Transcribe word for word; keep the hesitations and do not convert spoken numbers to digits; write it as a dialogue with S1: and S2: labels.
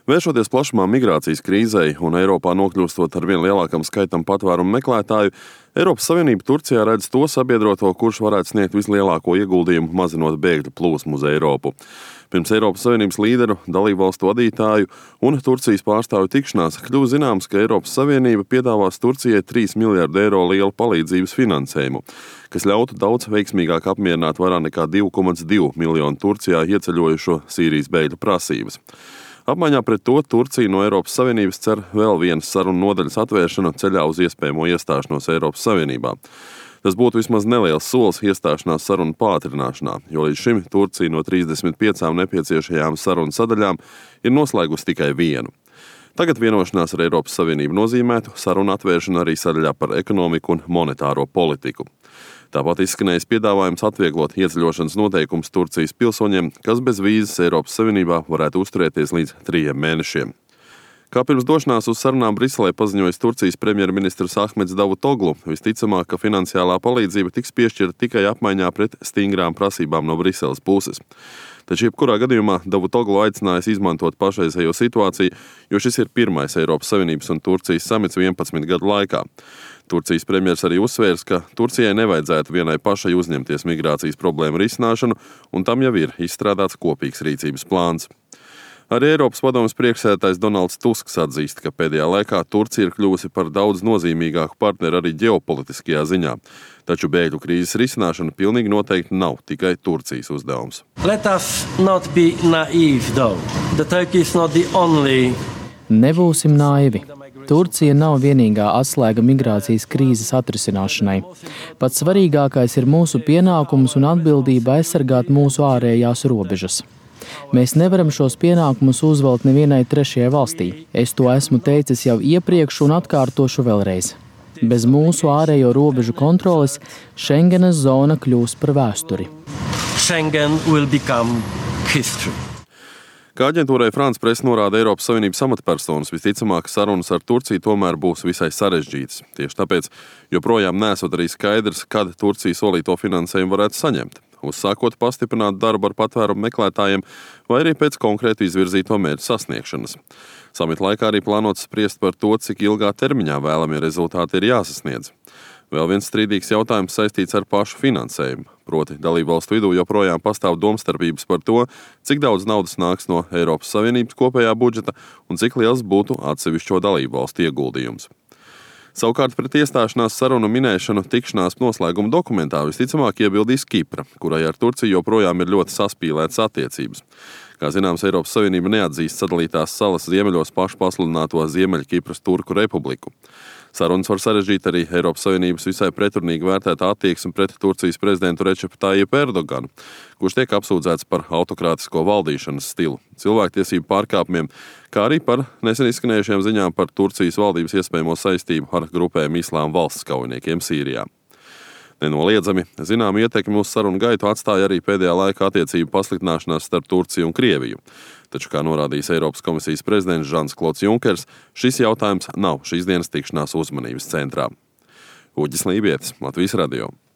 S1: Vēršoties plašumā migrācijas krīzei un Eiropā nokļūstot ar vien lielākam skaitam patvērumu meklētāju, Eiropas Savienība Turcijā redz to sabiedroto, kurš varētu sniegt vislielāko ieguldījumu mazinot bēgļu plūsmu uz Eiropu. Pirms Eiropas Savienības līderu, dalībvalstu vadītāju un Turcijas pārstāvju tikšanās kļuva zināms, ka Eiropas Savienība piedāvās Turcijai trīs miljardu eiro lielu palīdzības finansējumu, kas ļautu daudz veiksmīgāk apmierināt vairāk nekā divi komats divi miljonu Turcijā ieceļojušo Sīrijas bēgļu prasības. Apmaiņā pret to Turcija no Eiropas Savienības cer vēl vienas sarunu nodaļas atvēršanu ceļā uz iespējamo iestāšanos Eiropas Savienībā. Tas būtu vismaz neliels solis iestāšanās sarunu pātrināšanā, jo līdz šim Turcija no trīsdesmit piecām nepieciešajām sarunu sadaļām ir noslēgusi tikai vienu. Tagad vienošanās ar Eiropas Savienību nozīmētu sarunu atvēršanu arī sadaļā par ekonomiku un monetāro politiku. Tāpat izskanējis piedāvājums atvieglot ieceļošanas noteikumus Turcijas pilsoņiem, kas bez vīzas Eiropas Savienībā varētu uzturēties līdz trījiem mēnešiem. Kā pirms došanās uz sarunām Briselē paziņojis Turcijas premjerministrs Ahmeds Davutoglu, visticamāk, ka finansiālā palīdzība tiks piešķirta tikai apmaiņā pret stingrām prasībām no Briseles puses. Taču jebkurā gadījumā Davutoglu aicinājis izmantot pašreizējo situāciju, jo šis ir pirmais Eiropas Savienības un Turcijas samits vienpadsmit gadu laikā. Turcijas premjers arī uzsvērs, ka Turcijai nevajadzētu vienai pašai uzņemties migrācijas problēmu risināšanu, un tam jau ir izstrādāts kopīgs rīcības plāns. Arī Eiropas padomes priekšsēdētājs Donalds Tusks atzīst, ka pēdējā laikā Turcija ir kļuvusi par daudz nozīmīgāku partneri arī ģeopolitiskajā ziņā. Taču bēgļu krīzes risināšana pilnīgi noteikti nav tikai Turcijas uzdevums.
S2: Let us not be naive, though. The Turkey is not the only...
S3: Nebūsim naivi. Turcija nav vienīgā atslēga migrācijas krīzes atrisināšanai. Pats svarīgākais ir mūsu pienākums un atbildība aizsargāt mūsu ārējās robežas. Mēs nevaram šos pienākumus uzvelt nevienai trešajai valstī. Es to esmu teicis jau iepriekš un atkārtošu vēlreiz. Bez mūsu ārējo robežu kontroles Schengenas zona kļūs par vēsturi.
S2: Schengen will become history.
S1: Kā aģentūrai France Press norāda Eiropas Savienības amatpersonas, visticamāk sarunas ar Turciju tomēr būs visai sarežģītas. Tieši tāpēc joprojām nesot arī skaidrs, kad Turcija solīto finansējumu varētu saņemt. Uzsākot pastiprināt darbu ar patvērumu meklētājiem vai arī pēc konkrēti izvirzīto mērķu sasniegšanas. Samita laikā arī plānots spriest par to, cik ilgā termiņā vēlamie rezultāti ir jāsasniedz. Vēl viens strīdīgs jautājums saistīts ar pašu finansējumu. Proti, dalībvalstu vidū joprojām pastāv domstarpības par to, cik daudz naudas nāks no Eiropas Savienības kopējā budžeta un cik liels būtu atsevišķo dalībvalstu ieguldījums. Savukārt pret iestāšanās sarunu minēšanu tikšanās noslēguma dokumentā visticamāk iebildīs Kipra, kurai ar Turciju joprojām ir ļoti saspīlētas attiecības. Kā zināms, Eiropas Savienība neatzīst sadalītās salas ziemeļos pašu pasludināto Ziemeļkipras Turku republiku. Sarunas var sarežģīt arī Eiropas Savienības visai pretrunīgi vērtētā attieksme pret Turcijas prezidentu Recepu Tayyipu Erdoganu, kurš tiek apsūdzēts par autokrātisko valdīšanas stilu, cilvēktiesību pārkāpumiem, kā arī par nesen izskanējušajām ziņām par Turcijas valdības iespējamo saistību ar grupēm Islāma valsts kaujiniekiem Sīrijā. Nenoliedzami, zinām ietekmi uz sarunu gaitu atstāja arī pēdējā laika attiecību pasliktināšanās starp Turciju un Krieviju. Taču, kā norādījis Eiropas komisijas prezidents Žans Klods Junkers, šis jautājums nav šīs dienas tikšanās uzmanības centrā. Uģis Lībietis, Latvijas radio.